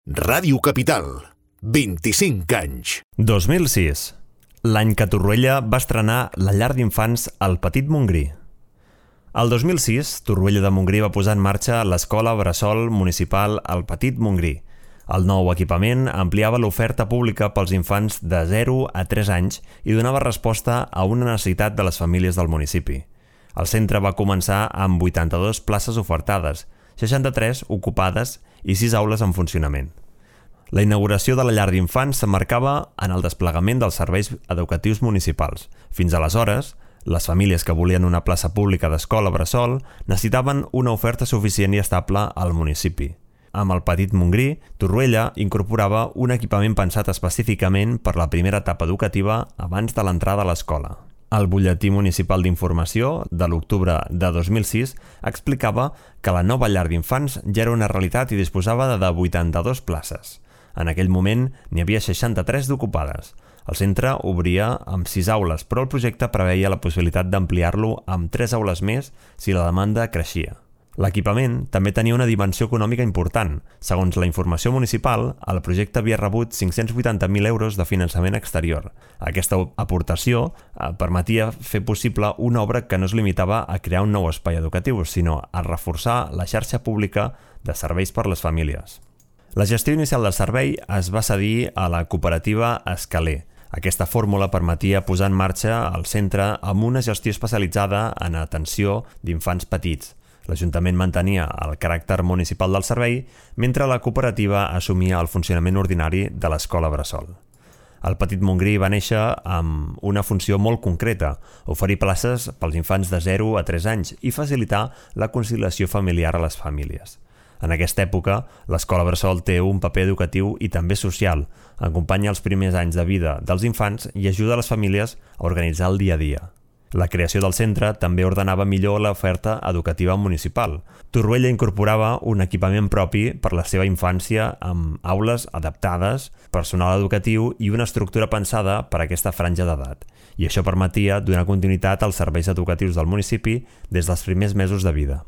Ràdio Capital, 25 anys. 2006, l'any que Torroella va estrenar la llar d'infants El Petit Montgrí. El 2006, Torroella de Montgrí va posar en marxa l'escola bressol municipal El Petit Montgrí. El nou equipament ampliava l'oferta pública pels infants de 0 a 3 anys i donava resposta a una necessitat de les famílies del municipi. El centre va començar amb 82 places ofertades, 63 ocupades i 6 aules en funcionament. La inauguració de la llar d'infants s'emmarcava en el desplegament dels serveis educatius municipals. Fins aleshores, les famílies que volien una plaça pública d'escola bressol necessitaven una oferta suficient i estable al municipi. Amb el Petit Montgrí, Torroella incorporava un equipament pensat específicament per la primera etapa educativa abans de l'entrada a l'escola. El butlletí municipal d'informació de l'octubre de 2006 explicava que la nova llar d'infants ja era una realitat i disposava de 82 places. En aquell moment n'hi havia 63 d'ocupades. El centre obria amb 6 aules, però el projecte preveia la possibilitat d'ampliar-lo amb 3 aules més si la demanda creixia. L'equipament també tenia una dimensió econòmica important. Segons la informació municipal, el projecte havia rebut 580.000 euros de finançament exterior. Aquesta aportació permetia fer possible una obra que no es limitava a crear un nou espai educatiu, sinó a reforçar la xarxa pública de serveis per les famílies. La gestió inicial del servei es va cedir a la cooperativa Escaler. Aquesta fórmula permetia posar en marxa el centre amb una gestió especialitzada en atenció d'infants petits. L'Ajuntament mantenia el caràcter municipal del servei, mentre la cooperativa assumia el funcionament ordinari de l'escola bressol. El Petit Montgrí va néixer amb una funció molt concreta, oferir places pels infants de 0 a 3 anys i facilitar la conciliació familiar a les famílies. En aquesta època, l'escola bressol té un paper educatiu i també social, acompanya els primers anys de vida dels infants i ajuda a les famílies a organitzar el dia a dia. La creació del centre també ordenava millor l'oferta educativa municipal. Torroella incorporava un equipament propi per la seva infància amb aules adaptades, personal educatiu i una estructura pensada per a aquesta franja d'edat. I això permetia donar continuïtat als serveis educatius del municipi des dels primers mesos de vida.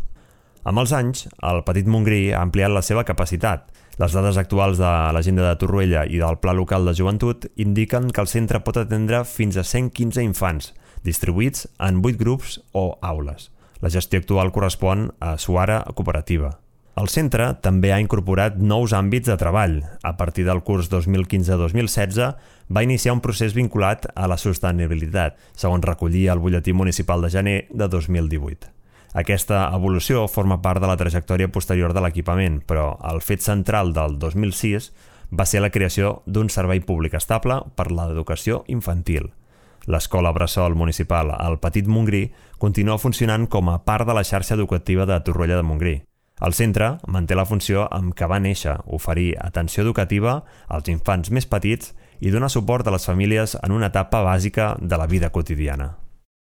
Amb els anys, el Petit Montgrí ha ampliat la seva capacitat. Les dades actuals de l'agenda de Torroella i del Pla Local de Joventut indiquen que el centre pot atendre fins a 115 infants, distribuïts en 8 grups o aules. La gestió actual correspon a Suara Cooperativa. El centre també ha incorporat nous àmbits de treball. A partir del curs 2015-2016 va iniciar un procés vinculat a la sostenibilitat, segons recollia el butlletí municipal de gener de 2018. Aquesta evolució forma part de la trajectòria posterior de l'equipament, però el fet central del 2006 va ser la creació d'un servei públic estable per l'educació infantil. L'escola bressol municipal El Petit Montgrí continua funcionant com a part de la xarxa educativa de Torroella de Montgrí. El centre manté la funció amb què va néixer, oferir atenció educativa als infants més petits i donar suport a les famílies en una etapa bàsica de la vida quotidiana.